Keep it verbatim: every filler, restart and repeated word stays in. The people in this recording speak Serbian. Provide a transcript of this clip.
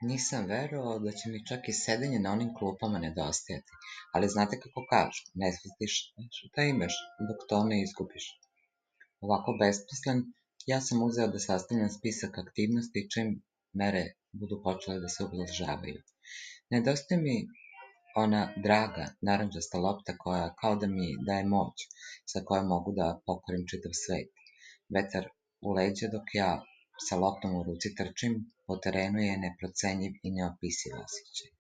Nisam verovao da će mi čak i sedenje na onim klupama nedostajati, ali znate kako kažu, ne shvatiš šta imaš dok to ne izgubiš. Ovako besmislen, ja sam uzeo da sastavljam spisak aktivnosti čim mere budu počele da se ublažavaju. Nedostaje mi ona draga, narandžasta lopta koja kao da mi daje moć, sa kojom mogu da pokorim čitav svet. Vetar u leđa dok ja sa loptom u ruci trčim, po terenu je neprocenjiv i neopisiv osjećaj.